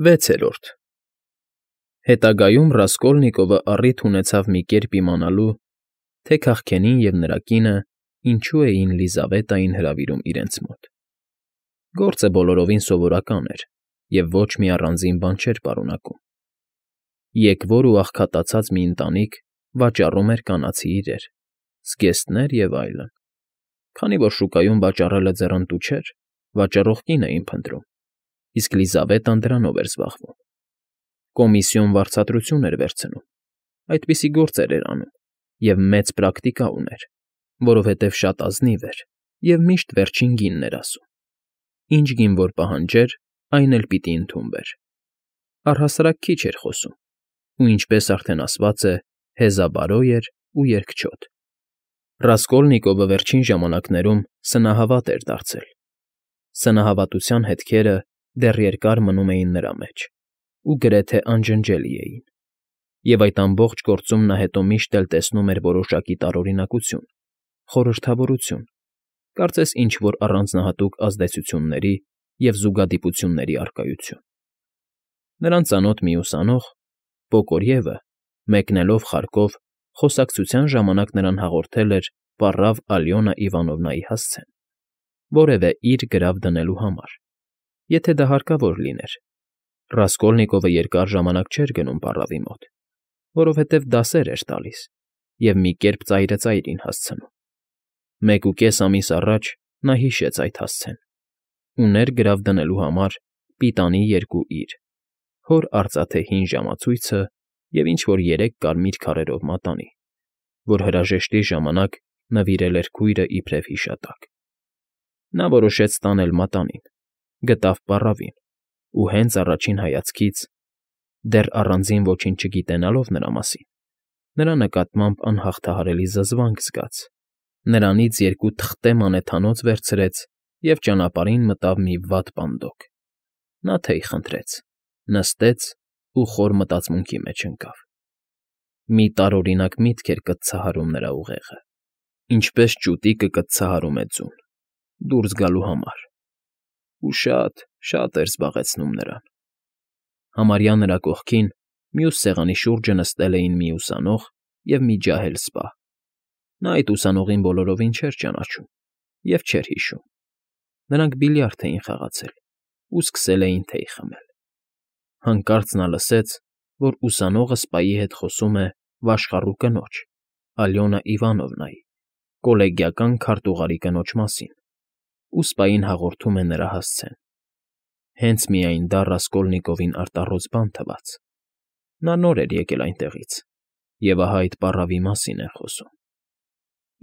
Վեցերորդ Հետագայում Ռասկոլնիկովը առիթ ունեցավ մի կերպ իմանալու, թե քաղքենին և նրա կինը ինչու էին Լիզավետային հրավիրում իրենց մոտ. գործը բոլորովին սովորական էր և ոչ մի առանձին բան չէր պարունակում. եկվոր ու աղքատացած մի ընտանիք վաճառում էր կանացի իրեր, զգեստներ և այլն. քանի որ շուկայում վաճառելը ձեռնտու չէր, վաճառող կին էին փնտրում, իսկ Լիզավետան դրանով էր զբաղվում. կոմիսիոն վարձատրություն էր վերցնում, այդպիսի գործեր էր անում և մեծ պրակտիկա ուներ, որովհետև շատ ազնիվ էր և միշտ վերջին գինն էր ասում. ինչ գին որ պահանջեր, այն էլ պիտի ընդունվեր. առհասարակ քիչ էր խոսում ու, ինչպես արդեն ասված է, հեզաբարո էր ու երկչոտ. Ռասկոլնիկովը վերջին ժամանակներում սնահավատ էր դարձել. սնահավատության հետքերը դեռ երկար մնում էին նրա մեջ ու գրեթե անջնջելի էին, և այդ ամբողջ գործում նա հետո միշտ էլ տեսնում էր որոշակի տարօրինակություն, խորհրդավորություն, կարծես ինչ֊որ առանձնահատուկ ազդեցությունների և զուգադիպությունների առկայություն. նրան ծանոթ մի ուսանող, Պոկորևը, մեկնելով խարկով, խոսակցության ժամանակ նրան հաղորդել էր պառավ Ալյոնա Իվանովնայի հասցեն, որևէ իր գրավ դնելու համար, եթե դա հարկավոր լիներ. Ռասկոլնիկովը երկար ժամանակ չէր գնում պառավի մոտ, որովհետև դասեր էր տալիս և մի կերպ ծայրծայրին հասցնում. 1.5 ամիս առաջ նա հիշեց այդ հասցեն. ուներ գրավ դնելու համար պիտանի 2 իր, հոր արծաթե հին ժամացույցը և ինչ֊որ 3 կարմիր քարերով մատանի, որ հրաժեշտի ժամանակ նվիրել էր քույրը իբրև հիշատակ. նա որոշեց տանել մատանին, գտավ պառավին ու հենց առաջին հայացքից, դեռ առանձին ոչինչ չգիտենալով նրա մասին, նրա նկատմամբ անհաղթահարելի զզվանք զգաց, նրանից 2 թղթե մանեթանոց վերցրեց և ճանապարհին մտավ մի վատ պանդոկ. նա թեյ խնդրեց, նստեց ու խոր մտածմունքի մեջ ընկավ. մի տարօրինակ միտք էր կծցահարում նրա ուղեղը, ինչպես ճուտիկը կծցահարում է ձուն, դուրս գալու համար, ու շատ, շատ էր զբաղեցնում նրան. համարյա նրա կողքին, մյուս սեղանի շուրջը նստել էին մի ուսանող և մի ջահել սպա. նա այդ ուսանողին բոլորովին չէր ճանաչում և չէր հիշում. նրանք բիլիարդ էին խաղացել ու սկսել էին թեյ խմել. հանկարծ նա լսեց, որ ուսանողը սպայի հետ խոսում է վաշխառու կնոջ, Ալյոնա Իվանովնայի, կոլեգիական քարտուղարի կնոջ մասին, ու սպային հաղորդում է նրա հասցեն. հենց միայն դա Ռասկոլնիկովին արտառոց բան թվաց. նա նոր էր եկել այնտեղից և ահա այդ պառավի մասին էր խոսում.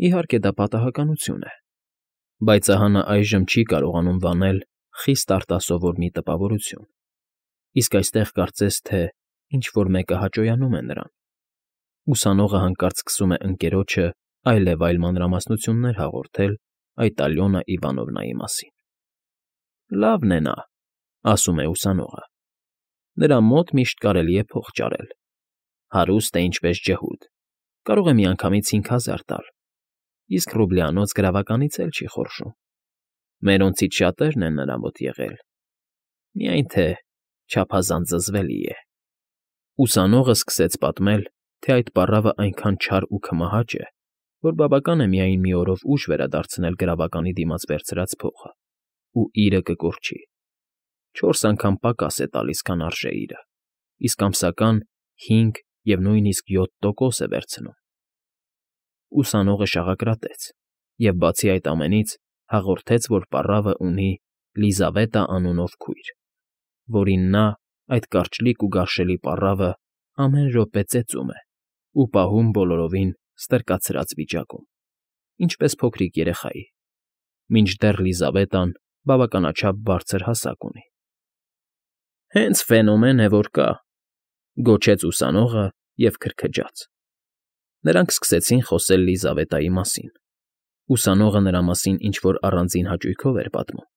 իհարկե դա պատահականություն է, բայց ահա նա այժմ չի կարողանում վանել խիստ արտասովոր մի տպավորություն, իսկ այստեղ կարծես թե ինչ֊որ մեկը հաճոյանում է նրան. ուսանողը հանկարծ սկսում է ընկերոջը այլևայլ մանրամասնություններ հաղորդել այդ Ալյոնա Իվանովնայի մասին. «Լավն է նա,֊ ասում է ուսանողը,֊ նրա մոտ միշտ կարելի է փող ճարել, հարուստ է ինչպես ջհուդ, կարող է միանգամից 5,000 տալ, իսկ ռուբլյանոց գրավականից էլ չի խորշում, մերոնցից շատերն են նրա մոտ եղել, միայն թե չափազանց զզվելի է»։ Ուսանողը սկսեց պատմել, թե այդ պառավը այնքան չար ու քմահաճ է, որ բավական է միայն մի օրով ուժ վերադարձնել գրավականի դիմաց վերցրած փողը, ու իրը կկորչի. 4 անգամ պակաս է տալիս, քան արժե իրը, իսկ ամսական 5 և նույնիսկ 7% է վերցնում։ Ուսանողը շաղակրատեց և բացի այդ ամենից հաղորդեց, որ պառավը ունի Լիզավետա անունով քույր, որին նա, այդ կարճլիկ ու գարշելի պառավը, ամեն րոպե ծեծում է ու պահում բոլորովին ստրկացրած վիճակում, ինչպես փոքրիկ երեխայի, մինչդեռ Լիզավետան բավականաչափ բարձր հասակ ունի։ «Հենց ֆենոմեն է, որ կա,֊ գոչեց ուսանողը և քրքջաց։ Նրանք սկսեցին խոսել Լիզավետայի մասին. ուսանողը նրա մասին ինչ֊որ առանձին հաճույքով էր պատմում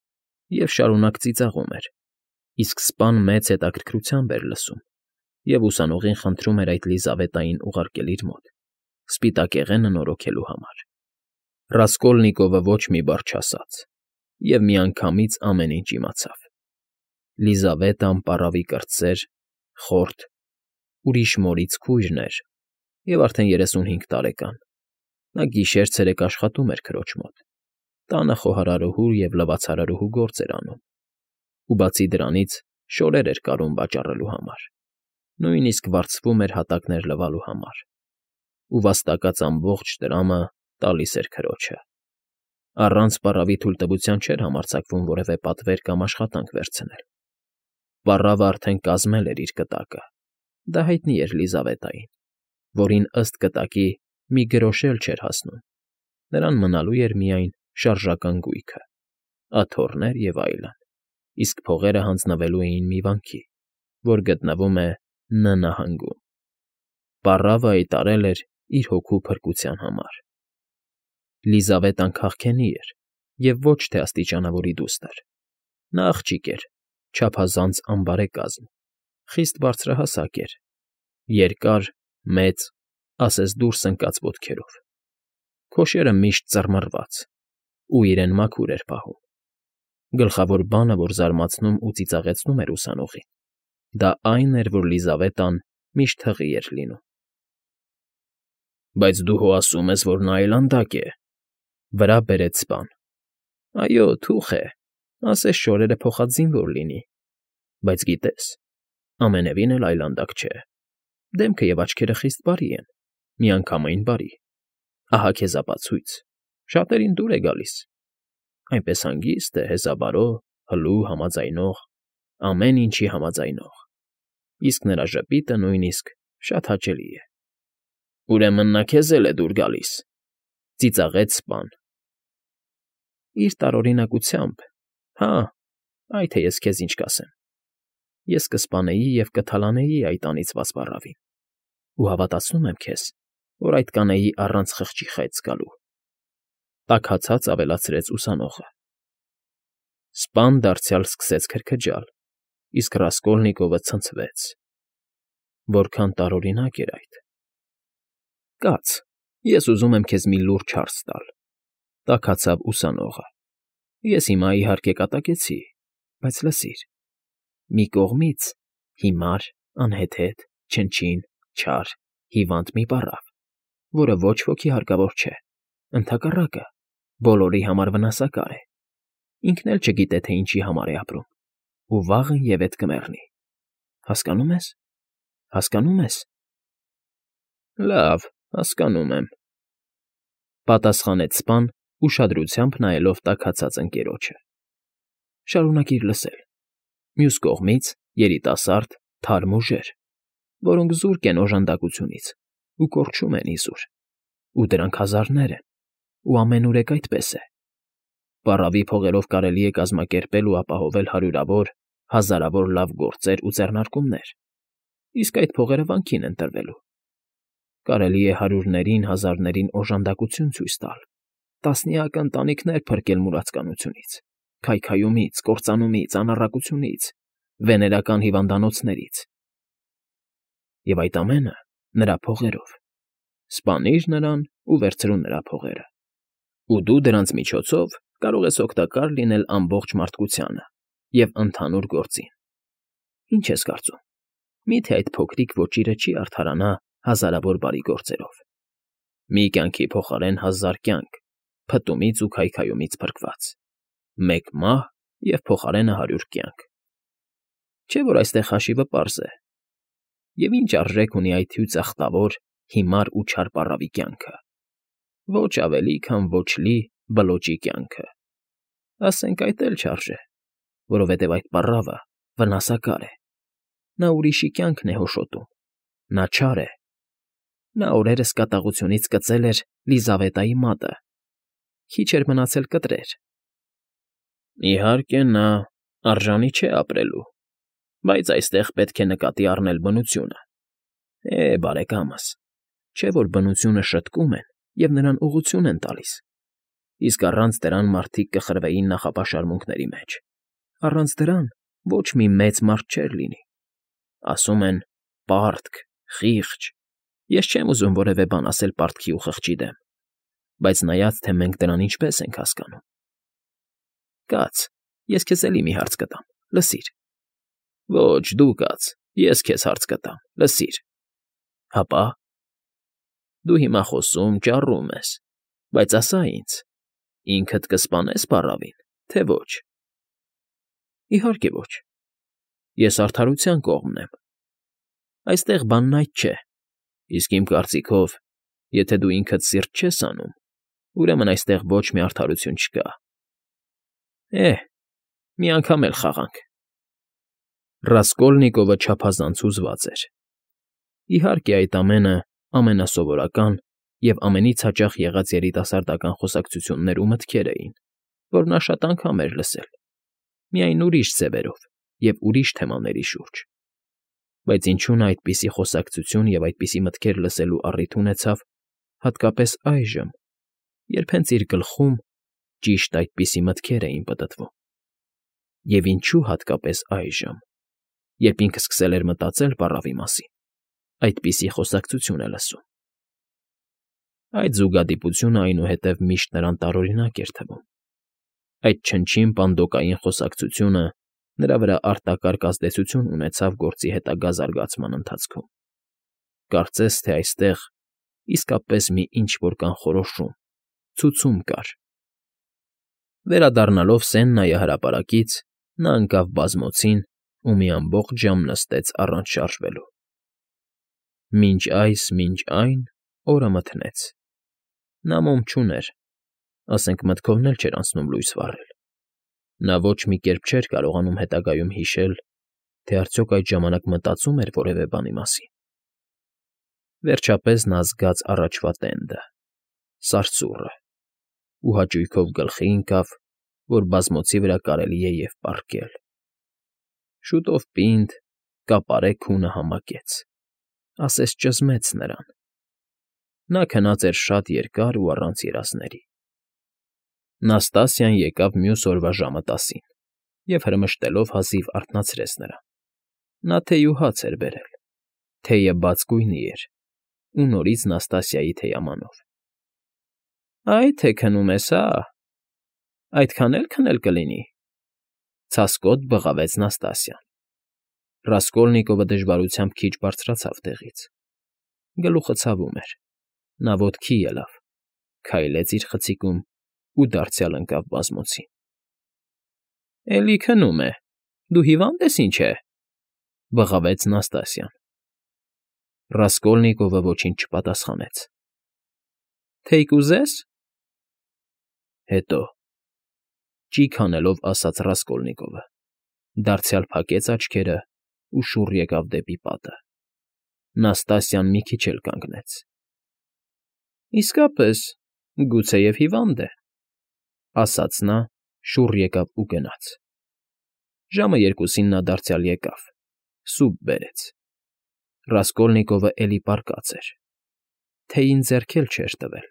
և շարունակ ծիծաղում էր, իսկ սպան մեծ հետաքրքրությամբ էր լսում և ուսանողին խնդրում էր այդ Լիզավետային ուղարկել իր մոտ, սպիտակեղենը նորոգելու համար։ Ռասկոլնիկովը ոչ մի բառ չասաց և միանգամից ամեն ինչ իմացավ։ Լիզավետը անպառավի կրտսեր, խորթ, ուրիշ մորից քույրն էր և արդեն 35 տարեկան. նա գիշեր֊ցերեկ աշխատում էր քրոջ մոտ, տանը խոհարարուհու և լվացարարուհու գործ էր անում, ու բացի դրանից շորեր էր կարում վաճառելու համար, նույնիսկ վարձվում էր հատակներ լվալու համար, ու վաստակած ամբողջ տրամը տալիս էր քրոջը. առանց պառավի թույլտվության չէր համարձակվում որևէ պատվեր կամ աշխատանք վերցնել. պառավը արդեն կազմել էր իր կտակը, դա հայտնի էր Լիզավետային, որին ըստ կտակի մի գրոշ էլ չէր հասնում, նրան մնալու էր միայն շարժական գույքը, աթոռներ և այլն, իսկ փողերը հանձնվելու էին մի վանքի, որ գտնվում է Ն նահանգում. պառավը այդ արել էր իր հոգու փրկության համար. Լիզավետան քաղքենի էր և ոչ թե աստիճանավորի դուստր, նա աղջիկ էր, չափազանց անբարեկազմ, խիստ բարձրահասակ էր, երկար, մեծ, ասես դուրս ընկած ոտքերով, քոշերը միշտ ծռմռված ու իրեն մաքուր էր պահում. գլխավոր բանը, որ զարմացնում ու ծիծաղեցնում էր ուսանողին, դա այն էր, որ Լիզավետան միշտ հղի էր լինում։ ֊ Բայց դու հո ասում ես, որ նա այլանդակ է,֊ վրա բերեց սպան։ ֊ Այո, թուխ է, ասես շորերը փոխածինվոր լինի, բայց գիտես, ամենևին էլ այլանդակ չէ, դեմքը և աչքերը խիստ բարի են, միանգամայն բարի, ահա քեզ ապացույց, շատերին դուր է գալիս, այնպես հանգիստ է, հեզաբարո, հլու, համաձայնող, ամեն ինչի համաձայնող, իսկ նրա ժպիտը նույնիսկ շատ հաճելի է։ ֊ Ուրեմն նա քեզ էլ է դուր գալիս,֊ ծիծաղեց սպան։ ֊ Իր տարօրինակությամբ, հա, այ թե ես քեզ ինչ կասեմ. ես կսպանեի և կթալանեի այդ անիծված պառավին, ու հավատացնում եմ քեզ, որ այդ կանեի առանց խղճի խայծ գալու,֊ տաքացած ավելացրեց ուսանողը։ Սպան դարձյալ սկսեց քրքջալ, իսկ Ռասկոլնիկովը ցնցվեց. որքան տարօրինակ էր այդ։ ֊ Կաց, ես ուզում եմ քեզ մի լուր չարս տալ,֊ տաքացավ ուսանողը,֊ ես հիմա, իհարկե, կատակեցի, բայց լսիր. մի կողմից հիմար, անհեթեթ, չնչին, չար, հիվանդ մի պառավ, որը ոչ ոքի հարկավոր չէ, ընդհակառակը, բոլորի համար վնասակար է, ինքն էլ չգիտե, թե ինչի համար է ապրում, ու վաղը ևեթ կմեռնի, հասկանո՞ւմ ես, հասկանո՞ւմ ես։ ֊ Լավ, հասկանում եմ,֊ պատասխանեց սպան, ուշադրությամբ նայելով տաքացած ընկերոջը։ ֊ Շարունակիր լսել. մյուս կողմից երիտասարդ, թարմ ուժեր, որոնք զուրկ են օժանդակությունից ու կորչում են իզուր, ու դրանք հազարներ են, ու ամենուրեք այդպես է. պառավի փողերով կարելի է կազմակերպել ու ապահովել հարյուրավոր, հազարավոր լավ գործեր ու ձեռնարկումներ, իսկ այդ փողերը վանքին են տրվելու. կարելի է հարյուրներին, հազարներին օժանդակություն ցույց տալ, տասնյակ ընտանիքներ փրկել մուրացկանությունից, քայքայումից, կործանումից, անառակությունից, վեներական հիվանդանոցներից, և այդ ամենը նրա փողերով. սպանիր նրան ու վերցրու նրա փողերը, ու դու դրանց միջոցով կարող ես օգտակար լինել ամբողջ մարդկությանը և ընդհանուր գործին. ինչ ես կարծում, մի՞թե այդ փոքրիկ ոճիրը չի արդարանա հազարավոր բարի գործերով, մի կյանքի փոխարեն հազար կյանք, փտումից ու քայքայումից փրկված, մեկ մահ և փոխարենը 100 կյանք, չէ՞ որ այստեղ հաշիվը պարզ է, և ինչ արժեք ունի այդ հյուծախտավոր, հիմար ու չար պառավի կյանքը, ոչ ավելի, քան ոչլի, բլոճի կյանքը, ասենք այդ էլ չարժե, որովհետև այդ պառավը վնասակար է, նա ուրիշի կյանքն է հոշոտում, նա չար է, նա օրերս կատաղությունից կծել էր Լիզավետայի մատը, քիչ էր մնացել կտրեր։ ֊ Իհարկե, նա արժանի չէ ապրելու, բայց այստեղ պետք է նկատի առնել բնությունը. բարեկամս, չէ՞ որ բնությունը շտկում են և նրան ուղղություն են տալիս, իսկ առանց դրան մարդիկ կխրվեին նախապաշարմունքների մեջ, առանց դրան ոչ մի մեծ մարդ չէր լինի, ասում են պարտք, խիղճ, ես չեմ ուզում որևէ բան ասել պարտքի ու խղճի դեմ, բայց նայած, թե մենք դրան ինչպես ենք հասկանում։ Կաց, ես քեզ էլի մի հարց կտամ, լսիր, Ոչ, դու կաց, ես քեզ հարց կտամ, լսիր։ Հապա։ Դու հիմա խոսում, ճառում ես, բայց ասա ինձ, ինքդ կսպանե՞ս պառավին, թե ոչ։ Իհարկե ոչ։ Ես արդարության կողմն եմ։ Այստեղ բանն այդ չէ, իսկ իմ կարծիքով, եթե դու ինքդ սիրտ չես անում, ուրեմն այստեղ ոչ մի արդարություն չկա։ Մի անգամ էլ խաղանք։ Ռասկոլնիկովը չափազանց հուզված էր։ Իհարկե, այդ ամենը ամենասովորական և ամենից հաճախ եղած երիտասարդական խոսակցություններ ու մտքեր էին, որ նա շատ անգամ էր լսել, միայն ուրիշ ձևերով և ուրիշ թեմաների շուրջ։ Բայց ինչու նա այդպիսի խոսակցություն և այդպիսի մտքեր լսելու առիթ ունեցավ հատկապես այժմ, երբ հենց իր գլխում ճիշտ այդպիսի մտքեր էին պտտվում։ Եվ ինչու հատկապես այժմ, երբ ինքը սկսել էր մտածել պառավի մասին, այդպիսի խոսակցություն է լսում։ Այդ զուգադիպությունը այնուհետև միշտ նրան տարօրինակ էր թվում։ Այդ չնչին պանդոկային խոսակցությունը նրա վրա արտակարգ ազդեցություն ունեցավ գործի հետագա զարգացման ընթացքում։ Կարծես թե այստեղ իսկապես մի ինչ֊որ կանխորոշում, ցուցում կար։ Վերադառնալով Սեննայի հրապարակից, նա ընկավ բազմոցին ու մի ամբողջ ժամ նստեց առանց շարժվելու։ Մինչ այն օրը մթնեց։ Նա մոմ չուներ, ասենք մտքովն էլ չէր անցնում լույս վառել։ Նա ոչ մի կերպ չէր կարողանում հետագայում հիշել, թե արդյոք այդ ժամանակ մտածում էր որևէ բանի մասին։ Վերջապես նա զգաց առաջվա տենդը, սարսուռը, ու հաճույքով գլխի ընկավ, որ բազմոցի վրա կարելի է և պառկել։ Շուտով պինդ, կապարե քունը համակեց, ասես ճզմեց նրան։ Նա քնած էր շատ երկար ու առանց երազների։ Նաստասիան եկավ մյուս օրվա ժամը 10-ին և հրմշտելով հազիվ արթնացրեց նրան։ Նա թեյ ու հաց էր բերել։ Թեյը բաց գույնի էր ու նորից Նաստասիայի թեյամանով։ Այ թե քնում ես, հա՞։ Այդքան էլ քնել կլինի,֊ ցասկոտ բղավեց Նաստասիան։ Ռասկոլնիկովը դժվարությամբ քիչ բարձրացավ տեղից։ Գլուխը ցավում էր։ Նա ոտքի ելավ, քայլեց իր խցիկում ու դարձյալ ընկավ բազմոցին։ Էլի քնում է, դու հիվա՞նդ ես, ինչ է,֊ բղավեց Նաստասիան։ Ռասկոլնիկովը ոչինչ չպատասխանեց։ Թեյ կուզե՞ս։ Հետո, ճիգ անելով ասաց Ռասկոլնիկովը, դարձյալ փակեց աչքերը ու շուռ եկավ դեպի պատը։ Նաստասիան մի քիչ էլ կանգնեց։ Իսկապես, գուցեև հիվանդ է,֊ ասաց նա, շուռ եկավ ու գնաց։ Ժամը 2-ին նա դարձյալ եկավ, սուպ բերեց։ Ռասկոլնիկովը էլի պառկած էր։ Թեյին ձեռք էլ չէր տվել։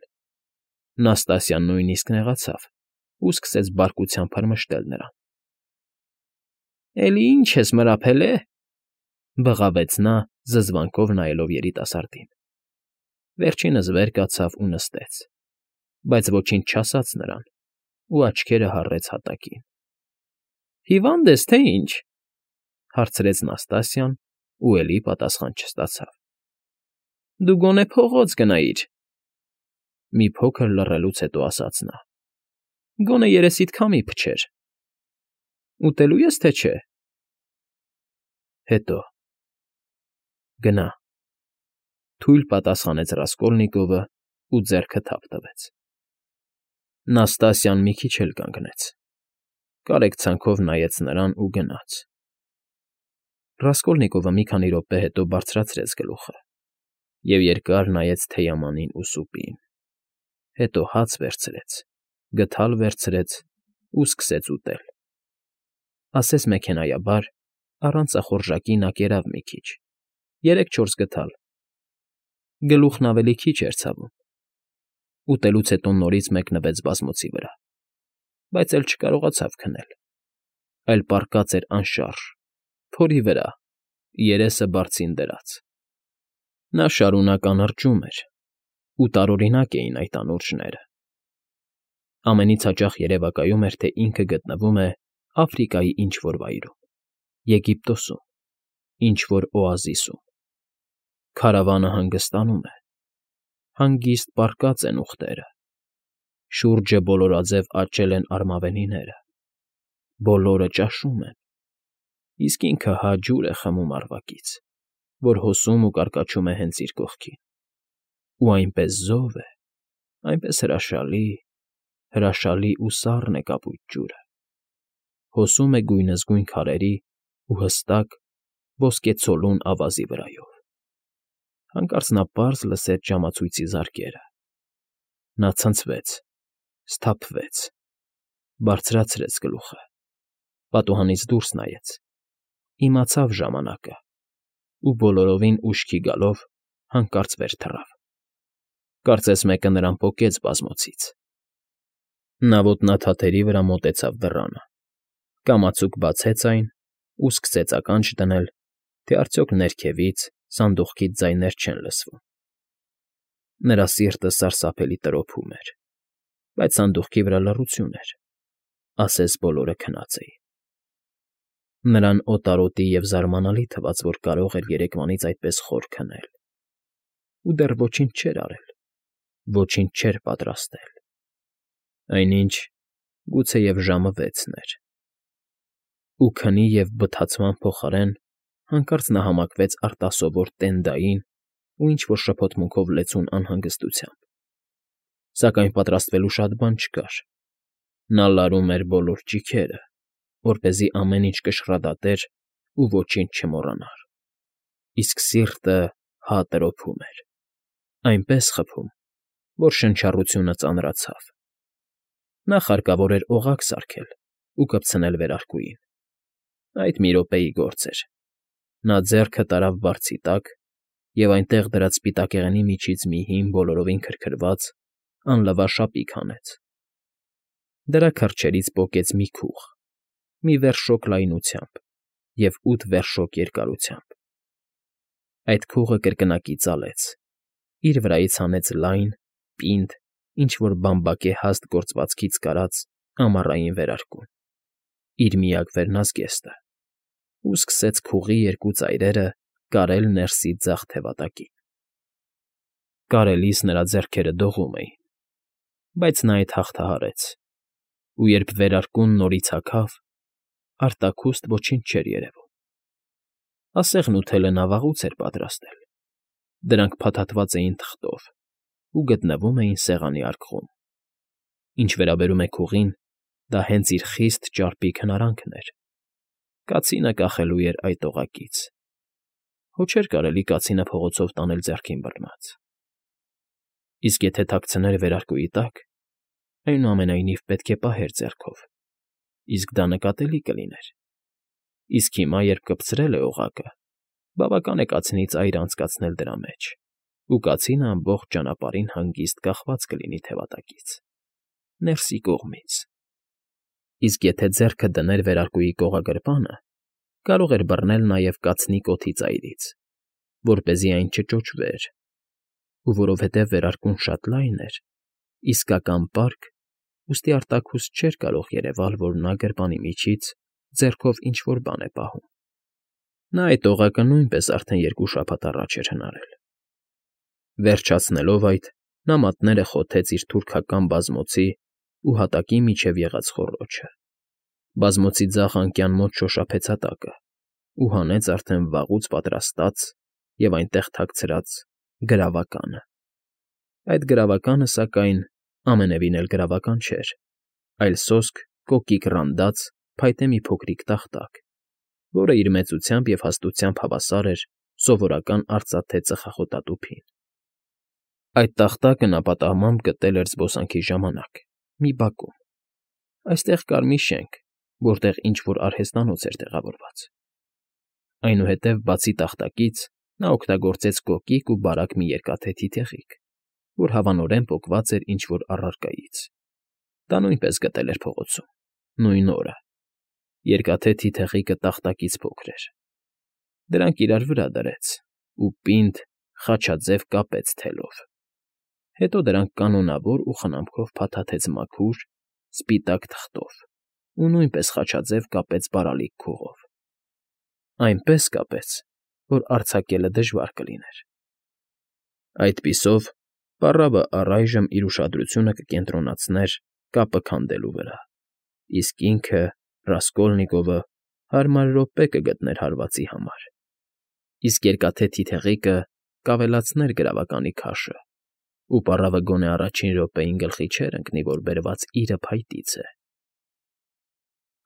Նաստասիան նույնիսկ նեղացավ ու սկսեց բարկությամբ հրմշտել նրան։ Էլի ի՞նչ ես մրափել, է,֊ բղավեց նա, զզվանքով նայելով երիտասարդին։ Վերջինս վեր կացավ ու նստեց, բայց ոչինչ չասաց նրան ու աչքերը հառեց հատակին։ Հիվա՞նդ ես, թե ինչ,֊ հարցրեց Նաստասիան ու էլի պատասխան չստացավ։ Դու գոնե փողոց գնայիր,֊ մի փոքր լռելուց հետո ասաց նա։ Գոնե երեսիդ քամի փչեր։ Ուտելո՞ւ ես, թե չէ։ Հետո։ Գնա,֊ թույլ պատասխանեց Ռասկոլնիկովը ու ձեռքը թափ տվեց։ Նաստասիան մի քիչ էլ կանգնեց։ Կարեկցանքով նայեց նրան ու գնաց։ Ռասկոլնիկովը մի քանի րոպե հետո բարձրացրեց գլուխը և երկար նայեց թեյամանին ու սուպին։ Հետո հաց վերցրեց, գդալ վերցրեց ու սկսեց ուտել։ Ասես մեքենայաբար, առանց ախորժակի նա կերավ մի քիչ, 3-4 գդալ։ Գլուխն ավելի քիչ էր ցավում։ Ուտելուց հետո նորից մեկնվեց բազմոցի վրա, բայց էլ չկարողացավ քնել, այլ պառկած էր անշարժ, փորի վրա, երեսը բարձին դրած։ Նա շարունակ անրջում էր, ու տարօրինակ էին այդ անուրջները։ Ամենից հաճախ երևակայում էր, թե ինքը գտնվում է Աֆրիկայի ինչ֊որ վայրում, Եգիպտոսում, ինչ-որ օազիսում։ Քարավանը հանգստանում է, հանգիստ պառկած են ուղտերը, շուրջը բոլորաձև աճել են արմավենիները, բոլորը ճաշում են, իսկ ինքը հա ջուր է խմում առվակից, որ հոսում ու կարկաչում է հենց իր կողքին, ու այնպես զով է, այնպես հրաշալի ու սառն է կապույտ ջուրը, հոսում է գույնզգույն քարերի ու հստակ, ոսկեցոլուն ավազի վրայով։ Հանկարծ նա պարզ լսեց ժամացույցի զարկերը։ Նա ցնցվեց, սթափվեց, բարձրացրեց գլուխը, պատուհանից դուրս նայեց, իմացավ ժամանակը ու բոլորովին ուշքի գալով հանկարծ վեր թռավ։ Կարծես մեկը նրան պոկեց բազմոցից։ Նա ոտնաթաթերի վրա մոտեցավ դռանը, կամացուկ բացեց այն ու սկսեց ականջ դնել, թե արդյոք ներքևից, սանդուղքից ձայներ չեն լսվում։ Նրա սիրտը սարսափելի տրոփում էր, բայց սանդուղքի վրա լռություն էր, ասես բոլորը քնած էին։ Նրան օտարոտի և զարմանալի թվաց, որ կարող էր երեկվանից այդպես խոր քնել, ու դեռ ոչինչ չէր արել, ոչինչ չէր պատրաստել, այնինչ գուցեև ժամը 6-ն էր։ Ու քնի և բթացման փոխարեն հանկարծ նա համակվեց արտասովոր տենդային ու ինչ֊որ շփոթմունքով լեցուն անհանգստությամբ։ Սակայն պատրաստվելու շատ բան չկար։ Նա լարում էր բոլոր ճիգերը, որպեսզի ամեն ինչ կշռադատեր ու ոչինչ չմոռանար, իսկ սիրտը հա տրոփում էր, այնպես խփում, որ շնչառությունը ծանրացավ։ Նախ հարկավոր էր օղակ սարքել ու կպցնել վերարկուին։ Այդ մի րոպեի գործ էր։ Նա ձեռքը տարավ բարձի տակ և այնտեղ դրած սպիտակեղենի միջից մի հին, բոլորովին քրքրված, անլվա շապիկ հանեց։ Դրա քրջերից պոկեց մի քուղ, մի վերշոկ լայնությամբ և 8 վերշոկ երկարությամբ։ Այդ քուղը կրկնակի ծալեց, իր վրայից հանեց լայն, պինդ, ինչ֊որ բամբակե հաստ գործվածքից կարած ամառային վերարկուն, իր միակ վերնազգեստը, ու սկսեց քուղի երկու ծայրերը կարել ներսի ձախ թևատակին։ Կարելիս նրա ձեռքերը դողում էին, բայց նա այդ հաղթահարեց, ու երբ վերարկուն նորից հագավ, արտաքուստ ոչինչ չէր երևում։ Ասեղն ու թելը նա վաղուց էր պատրաստել, դրանք փաթաթված էին թղթով ու գտնվում էին սեղանի արկղում։ Ինչ վերաբերում է քուղին, դա հենց իր խիստ ճարպիկ հնարանքն էր։ Կացինը կախելու էր այդ օղակից։ Հո չէր կարելի կացինը փողոցով տանել ձեռքին բռնած։ Իսկ եթե թաքցներ վերարկուի տակ, այնուամենայնիվ պետք է պահեր ձեռքով, իսկ դա նկատելի կլիներ։ Իսկ հիմա, երբ կպցրել է օղակը, բավական է կացնի ծայրը անցկացնել դրա մեջ, ու կացինը ամբողջ ճանապարհին հանգիստ կախված կլինի թևատակից, ներսի կողմից։ Իսկ եթե ձեռքը դներ վերարկուի կողագրպանը, կարող էր բռնել նաև կացնի կոթի ծայրից, որպեսզի այն չճոճվեր, ու որովհետև վերարկուն շատ լայն էր, իսկական պարկ, ուստի արտաքուստ չէր կարող երևալ, որ նա գրպանի միջից ձեռքով ինչ֊որ բան է պահում։ Նա այդ օղակը նույնպես արդեն 2 շաբաթ առաջ էր հնարել։ Վերջացնելով այդ, նա մատները խոթեց իր թուրքական բազմոցի ու հատակի միջև եղած խոռոչը, բազմոցի ձախ անկյան մոտ շոշափեց հատակը ու հանեց արդեն վաղուց պատրաստած և այնտեղ թաքցրած գրավականը։ Այդ գրավականը, սակայն, ամենևին էլ գրավական չէր, այլ սոսկ կոկիկ ռանդած փայտե մի փոքրիկ տախտակ, որը իր մեծությամբ և հաստությամբ հավասար էր սովորական արծաթե ծխախոտատուփին։ Այդ տախտակը նա պատահմամբ գտել էր զբոսանքի ժամանակ մի բակում։ Այստեղ կար մի շենք, որտեղ ինչ֊որ արհեստանոց էր տեղավորված։ Այնուհետև, բացի տախտակից, նա օգտագործեց կոկիկ ու բարակ մի երկաթե թիթեղիկ, որ հավանորեն պոկված էր ինչ֊որ առարկայից։ Դա նույնպես գտել էր փողոցում, նույն օրը։ Երկաթե թիթեղիկը տախտակից փոքր էր։ Դրանք իրար վրա դրեց ու պինդ, խաչաձև կապեց թելով։ Հետո դրանք կանոնավոր ու խնամքով փաթաթեց մաքուր, սպիտակ թղթով ու նույնպես խաչաձև կապեց բարալիկ քուղով։ Այնպես կապեց, որ արձակելը դժվար կլիներ։ Այդպիսով պառավը առայժմ իր ուշադրությունը կկենտրոնացներ կապը քանդելու վրա, իսկ ինքը, Ռասկոլնիկովը, հարմար րոպե կգտներ հարվածի համար, իսկ Երկաթե Թիթեղիկը կավելացներ գրավականի քաշը, ու պառավը գոնե առաջին րոպեին գլխի չէր ընկնի, որ բերված իրը փայտից է։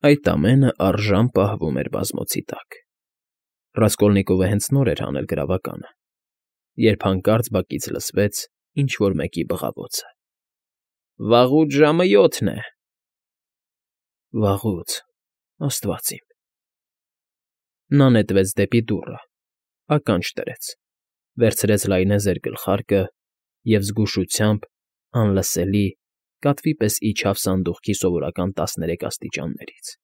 Այդ ամենը առժամ պահվում էր բազմոցի տակ։ Ռասկոլնիկովը հենց նոր էր հանել գրավականը, երբ հանկարծ բակից լսվեց ինչ֊որ մեկի բղավոցը. «Վաղուց ժամը 7 է»։ Վաղուց, աստված իմ… Նա նետվեց դեպի դուռը, ականջ դրեց, վերցրեց լայնեզր գլխարկը և զգուշությամբ, անլսելի, կատվի պես իջավ սանդուղքի սովորական 13 աստիճաններից։